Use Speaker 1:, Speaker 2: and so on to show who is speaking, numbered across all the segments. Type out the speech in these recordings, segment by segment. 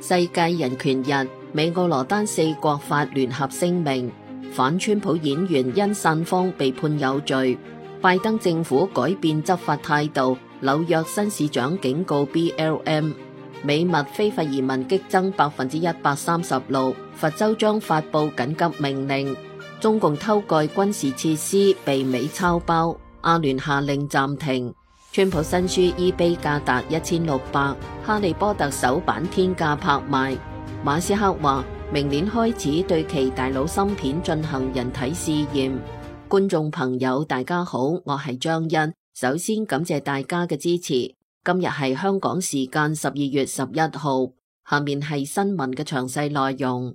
Speaker 1: 世界人權日，美俄羅丹4國發聯合聲明，反川普演員因散風被判有罪。拜登政府改變執法態度，紐約新市長警告 BLM。美墨非法移民激增136%，佛州將發佈緊急命令。中共偷蓋軍事設施被美抄包，阿聯下令暫停。川普新書 eBay 價達1600，哈利波特首版天價拍賣。馬斯克話明年開始對其大腦芯片進行人體試驗。觀眾朋友大家好，我係張欣，首先感謝大家嘅支持。今日係香港時間12月11號，下面係新聞嘅詳細內容。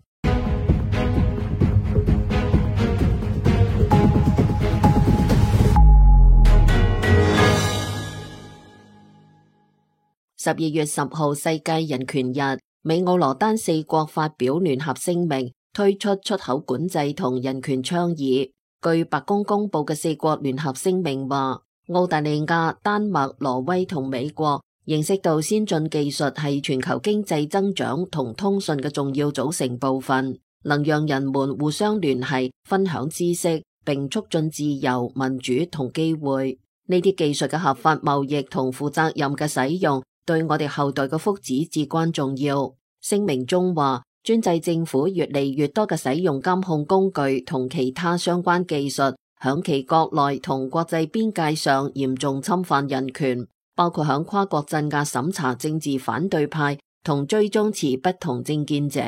Speaker 1: 12月10號世界人權日，美俄羅丹4國發表聯合聲明，推出出口管制同人權倡議。據白宮公布嘅4國聯合聲明話，澳大利亞、丹麥、挪威同美國認識到先進技術係全球經濟增長同通訊嘅重要組成部分，能讓人們互相聯繫、分享知識，並促進自由、民主同機會。呢啲技術嘅合法貿易同負責任嘅使用，對我哋後代嘅福祉至關重要。聲明中話，專制政府越嚟越多嘅使用監控工具同其他相關技術，響其國內同國際邊界上嚴重侵犯人權，包括響跨國鎮壓審查政治反對派同追蹤持不同政見者。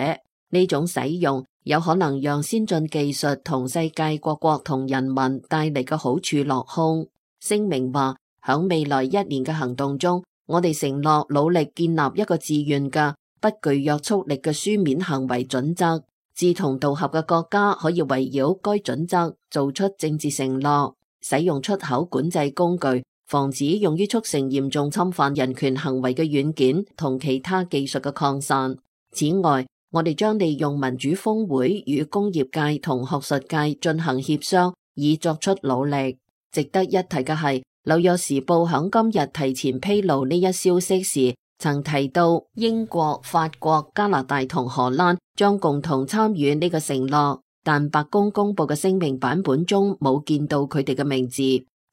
Speaker 1: 呢種使用有可能讓先進技術同世界各國同人民帶嚟嘅好處落空。聲明話，響未來1年嘅行動中，我哋承諾努力建立一個自願嘅不具約束力嘅書面行為準則，志同道合嘅國家可以圍繞該準則做出政治承諾，使用出口管制工具，防止用於促成嚴重侵犯人權行為嘅軟件同其他技術嘅擴散。此外，我哋將利用民主峰會與工業界同學術界進行協商，以作出努力。值得一提嘅係，紐約時報響今日提前披露呢一消息時，曾提到英國、法國、加拿大同荷蘭將共同參與呢個承諾，但白宮公布嘅聲明版本中冇見到佢哋嘅名字。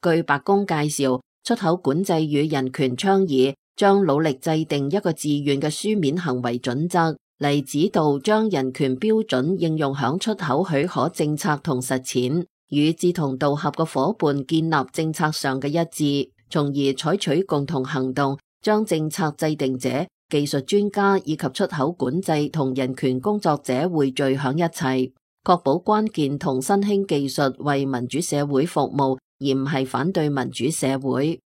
Speaker 1: 據白宮介紹，出口管制與人權倡議將努力制定一個自願嘅書面行為準則，嚟指導將人權標準應用響出口許可政策同實踐，與志同道合嘅夥伴建立政策上嘅一致，從而採取共同行動，將政策制定者、技術專家以及出口管制同人權工作者匯聚響一齊，確保關鍵同新興技術為民主社會服務，而唔係反對民主社會。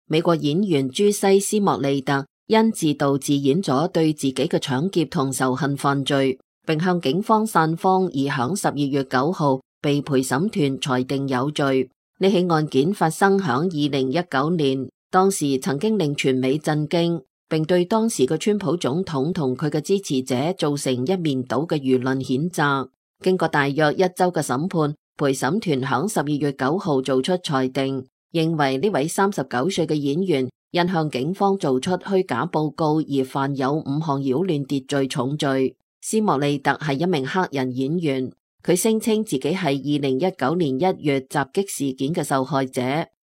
Speaker 1: 美國演員朱西斯莫利特因自導自演咗對自己嘅搶劫同仇恨犯罪，並向警方散謊而響12月9號被陪審團裁定有罪。呢起案件發生響2019年，當時曾經令全美震驚，並對當時嘅川普總統同佢嘅支持者造成一面倒嘅輿論譴責。經過大約1週嘅審判，陪審團響12月9號做出裁定，認為呢位39歲嘅演員因向警方做出虛假報告而犯有5項擾亂秩序重罪。斯莫利特係一名黑人演員，佢聲稱自己係2019年1月襲擊事件嘅受害者。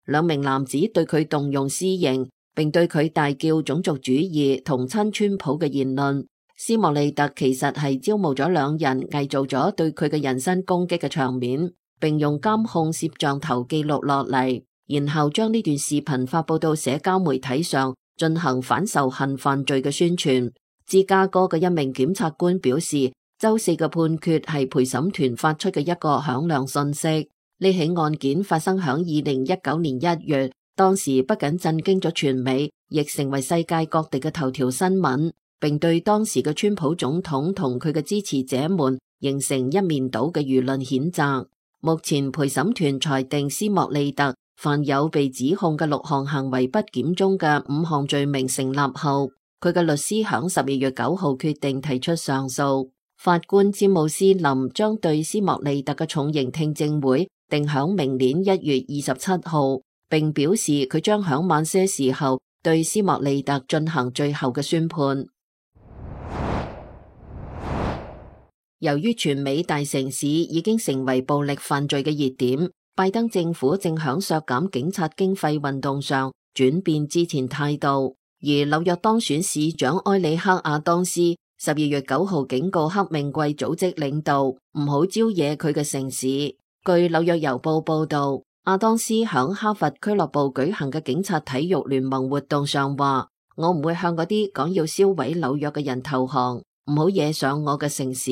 Speaker 1: 2名男子對佢動用私刑，並對佢大叫種族主義同親川普嘅言論。斯莫利特其實係招募咗2人，偽造咗對佢嘅人身攻擊嘅場面，並用監控攝像頭記錄落嚟，然後將呢段視頻發佈到社交媒體上，進行反仇恨犯罪嘅宣傳。芝加哥嘅一名檢察官表示，周4嘅判決係陪審團發出嘅一個響亮訊息。呢起案件發生響2019年1月，當時不僅震驚咗全美，亦成為世界各地嘅頭條新聞，並對當時嘅川普總統同佢嘅支持者們形成一面倒嘅輿論譴責。目前陪審團裁定斯莫利特犯有被指控嘅6項行為不檢中嘅5項罪名成立後，佢嘅律師響12月9號決定提出上訴。法官詹姆斯林將對斯莫利特嘅重刑聽證會定響明年1月27號，並表示佢將響晚些時候對斯莫利特進行最後嘅宣判。由於全美大城市已經成為暴力犯罪嘅熱點，拜登政府正響削減警察經費運動上轉變之前態度。而紐約當選市長埃里克亞當斯12月9號警告黑命貴組織領導唔好招惹佢嘅城市。據紐約郵報報道，亞當斯響哈佛俱樂部舉行嘅警察體育聯盟活動上話：我唔會向嗰啲講要銷毀紐約嘅人投降，唔好惹上我嘅城市。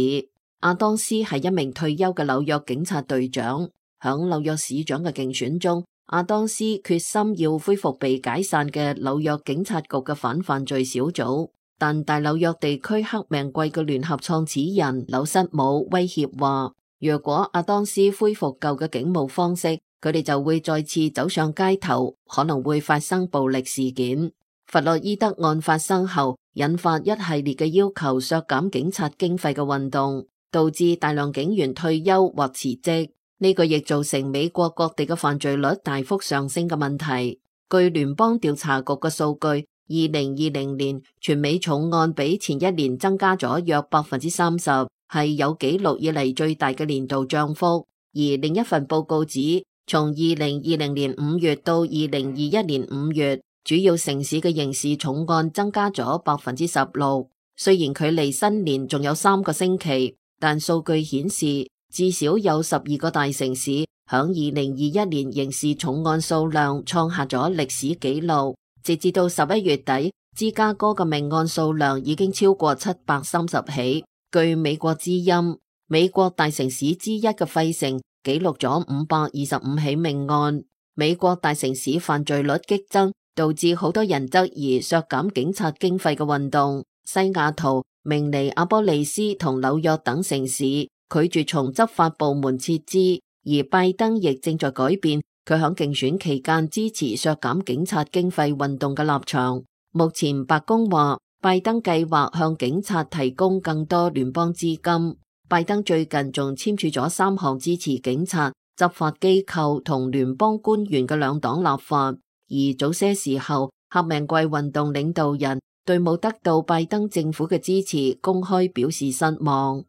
Speaker 1: 亞當斯係一名退休嘅紐約警察隊長，響紐約市長嘅競選中，亞當斯決心要恢復被解散嘅紐約警察局嘅反犯罪小組，但大紐約地區黑命貴嘅聯合創始人紐瑟姆威脅話，若果亞當斯恢復舊嘅警務方式，佢哋就會再次走上街頭，可能會發生暴力事件。弗洛伊德案發生後，引發一系列嘅要求削減警察經費嘅運動，導致大量警員退休或辭職。呢個亦造成美國各地嘅犯罪率大幅上升嘅問題。據聯邦調查局嘅數據，2020年全美重案比前一年增加咗約30%，係有紀錄以嚟最大嘅年度漲幅。而另一份報告指，從2020年5月到2021年5月，主要城市嘅刑事重案增加咗16%。雖然距離新年仲有3個星期，但數據顯示，至少有12個大城市響2021年刑事重案數量創下咗歷史紀錄。截至到11月底，芝加哥嘅命案數量已經超過730起。據美國之音，美國大城市之一嘅費城記錄咗525起命案。美國大城市犯罪率激增，導致好多人質疑削減警察經費嘅運動。西雅圖、明尼阿波利斯同紐約等城市拒絕從執法部門撤資，而拜登亦正在改變佢響競選期間支持削減警察經費運動嘅立場。目前白宮話，拜登計劃向警察提供更多聯邦資金。拜登最近仲簽署咗3項支持警察、執法機構同聯邦官員嘅兩黨立法。而早些時候，黑命貴運動領導人對冇得到拜登政府嘅支持，公開表示失望。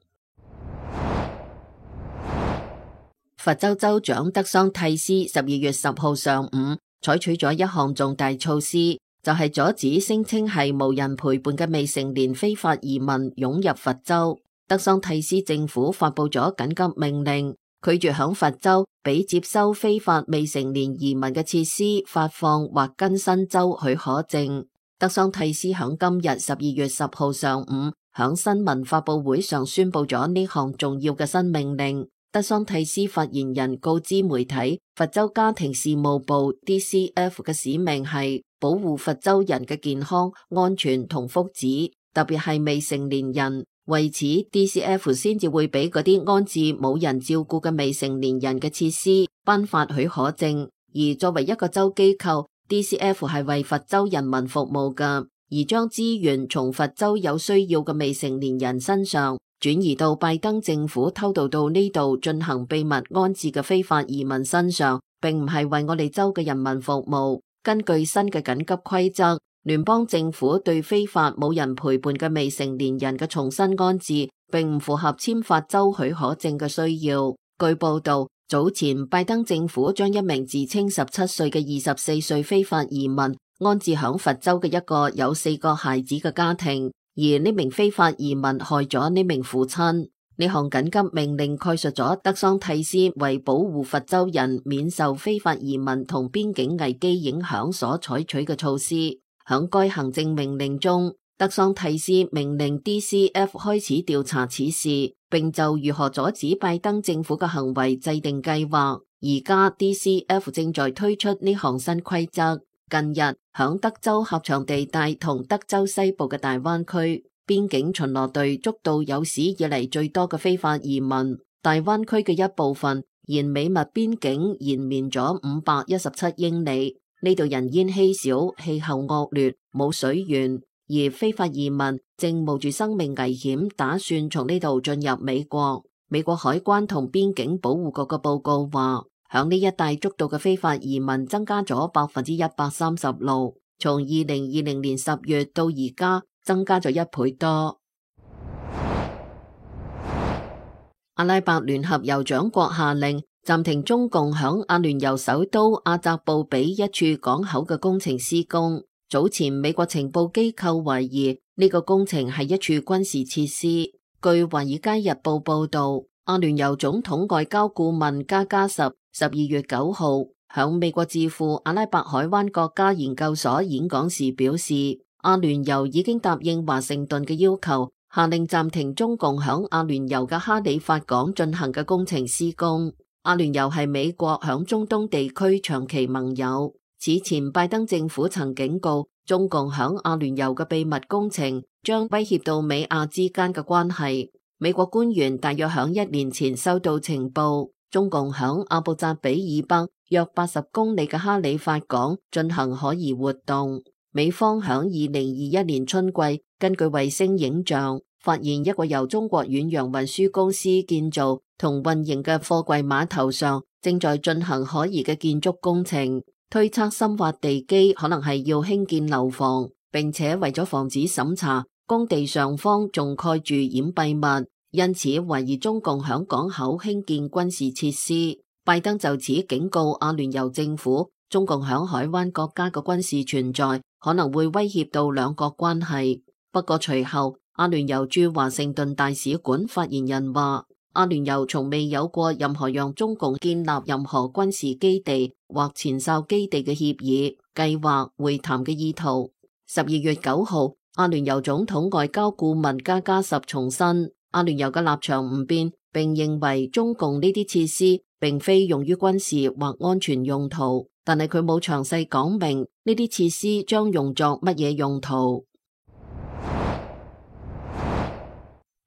Speaker 1: 佛州州長德桑蒂斯12月10號上午採取咗一項重大措施，就係阻止聲稱係無人陪伴嘅未成年非法移民湧入佛州。德桑蒂斯政府發布咗緊急命令，拒絕響佛州俾接收非法未成年移民嘅設施發放或更新州許可證。德桑蒂斯響今日12月10號上午響新聞發佈會上宣布咗呢項重要嘅新命令。德桑蒂斯發言人告知媒體，佛州家庭事務部 DCF 嘅使命係保護佛州人嘅健康、安全同福祉，特別係未成年人。為此 ，DCF 先至會俾嗰啲安置冇人照顧嘅未成年人嘅設施頒發許可證。而作為一個州機構， DCF 係為佛州人民服務㗎，而將資源從佛州有需要嘅未成年人身上轉移到拜登政府偷渡到呢度進行秘密安置嘅非法移民身上，並唔係為我哋州嘅人民服務。根據新嘅緊急規則，聯邦政府對非法冇人陪伴嘅未成年人嘅重新安置，並唔符合簽發州許可證嘅需要。據報道，早前拜登政府將一名自稱17歲嘅24歲非法移民安置響佛州嘅一個有4個孩子嘅家庭。而呢名非法移民害咗呢名父親。呢項緊急命令概述咗德桑蒂斯為保護佛州人免受非法移民同邊境危機影響所採取嘅措施。響該行政命令中，德桑蒂斯命令 DCF 開始調查此事，並就如何阻止拜登政府嘅行為制定計劃。而家 DCF 正在推出呢項新規則。近日，響德州狹長地帶同德州西部嘅大灣區，邊境巡邏隊捉到有史以嚟最多嘅非法移民。大灣區嘅一部分沿美墨邊境延綿咗517英里，呢度人煙稀少，氣候惡劣，冇水源，而非法移民正冒住生命危險，打算從呢度進入美國。美國海關同邊境保護局嘅報告話，響呢一帶捉到嘅非法移民增加咗136%。從2020年10月到而家增加咗1倍多。阿拉伯聯合酋長國下令暫停中共響阿聯酋首都阿扎布比一處港口嘅工程施工。早前美國情報機構懷疑呢個工程係一處軍事設施。據華爾街日報報道，阿聯酋總統外交顧問加加什12月9號響美國智庫阿拉伯海灣國家研究所演講時表示，阿聯酋已經答應華盛頓嘅要求，下令暫停中共響阿聯酋嘅哈里發港進行嘅工程施工。阿聯酋係美國響中東地區長期盟友。此前拜登政府曾警告，中共響阿聯酋嘅秘密工程將威脅到美亞之間嘅關係。美國官員大約響1年前收到情報，中共響阿布扎比以北約80公里嘅哈里發港進行可疑活動。美方響2021年春季根據衛星影像發現一個由中國遠洋運輸公司建造同運營嘅貨櫃碼頭上正在進行可疑嘅建築工程，推測深挖地基可能係要興建樓房，並且為咗防止審查，工地上方仲蓋住掩蔽物，因此懷疑中共響港口興建軍事設施。拜登就此警告阿聯酋政府，中共響海灣國家嘅軍事存在可能會威脅到兩國關係。不過隨後，阿聯酋駐華盛頓大使館發言人話，阿聯酋從未有過任何讓中共建立任何軍事基地或前哨基地嘅協議、計劃、會談嘅意圖。12月9號，阿聯酋總統外交顧問加加什重申，阿聯酋嘅立場唔變，並認為中共呢啲設施並非用於軍事或安全用途，但係佢冇詳細講明呢啲設施將用作乜嘢用途。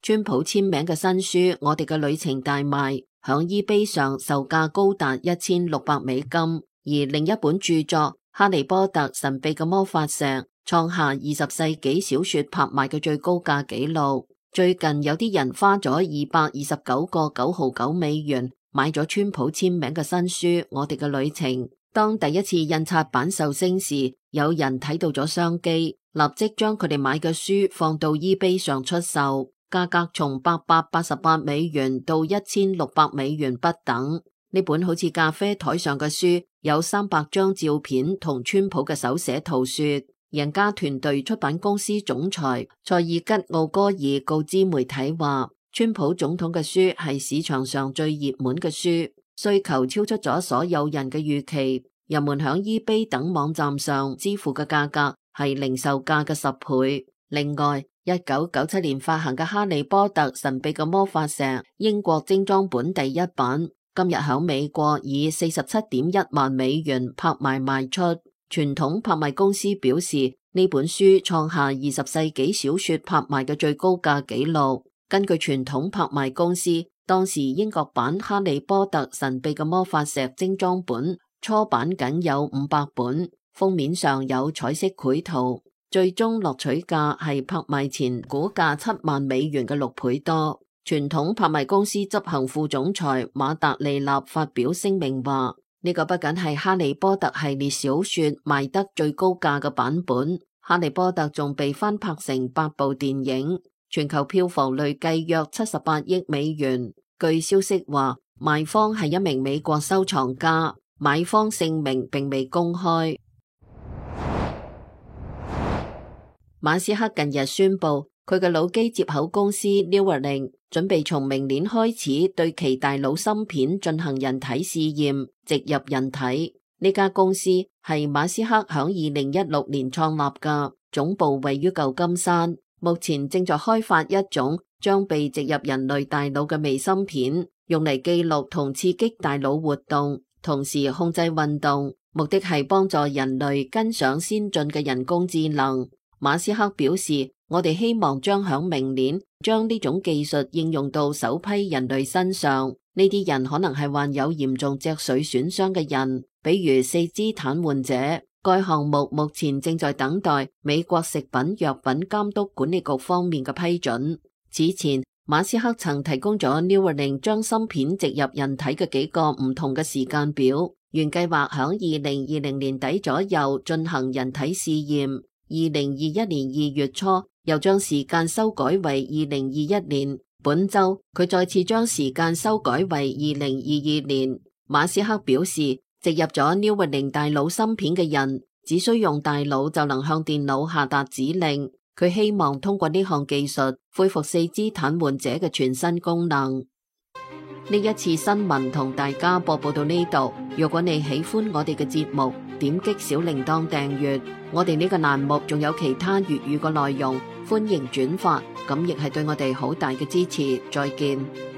Speaker 1: 川普簽名嘅新書《我哋嘅旅程》大賣，響 eBay 上售價高達$1600，而另一本著作《哈利波特：神秘嘅魔法石》創下20世紀小說拍賣嘅最高價紀錄。最近有啲人花咗229個$9.99買咗川普簽名嘅新書《我哋嘅旅程》。當第一次印刷版上升時，有人睇到咗商機，立即將佢哋買嘅書放到 eBay 上出售。價格從$888到$1600不等。呢本好似咖啡台上嘅書，有300張照片同川普嘅手寫圖說。人家團隊出版公司總裁塞爾吉奧戈爾告知媒體話，川普總統嘅書係市場上最熱門嘅書，需求超出咗所有人嘅預期。人們響 eBay 等網站上支付嘅價格係零售價嘅10倍。另外，1997年發行嘅《哈利波特：神秘嘅魔法石》英國精裝本第1版，今日響美國以47.1萬美元拍賣賣出。傳統拍賣公司表示，呢本書創下20世紀小說拍賣嘅最高價紀錄。根據傳統拍賣公司，當時英國版《哈利波特：神秘嘅魔法石》精裝本初版僅有500本，封面上有彩色繪圖。最終落取價係拍賣前估價7萬美元嘅6倍多。傳統拍賣公司執行副總裁馬達利納發表聲明話，呢個不僅係哈利波特系列小說賣得最高價嘅版本，哈利波特仲被翻拍成8部電影，全球票房累計約78億美元。據消息話，賣方係一名美國收藏家，買方姓名並未公開。馬斯克近日宣布，佢嘅腦機接口公司 Neuralink 準備從明年開始對其大腦芯片進行人體試驗，植入人體。呢家公司係馬斯克響2016年創立嘅，總部位於舊金山，目前正在開發一種將被植入人類大腦嘅微芯片，用嚟記錄同刺激大腦活動，同時控制運動，目的係幫助人類跟上先進嘅人工智能。馬斯克表示，我哋希望將響明年將呢種技術應用到首批人類身上。呢啲人可能係患有嚴重脊髓損傷嘅人，比如四肢癱瘓者。該項目目前正在等待美國食品藥品監督管理局方面嘅批准。此前，馬斯克曾提供咗 Neuralink 將芯片植入人體嘅幾個唔同嘅時間表。原計劃響2020年底左右進行人體試驗，2021年2月初又將時間修改為2021年。本周佢再次將時間修改為2022年。馬斯克表示，植入咗 Neuralink 大腦芯片嘅人，只需用大腦就能向電腦下達指令。佢希望通過呢項技術恢復四肢癱瘓者嘅全新功能。呢一次新聞同大家播報到呢度。如果你喜歡我哋嘅節目，點擊小鈴鐺訂閱。我哋呢個欄目仲有其他粵語嘅內容，歡迎轉發，咁亦係對我哋好大嘅支持。再見。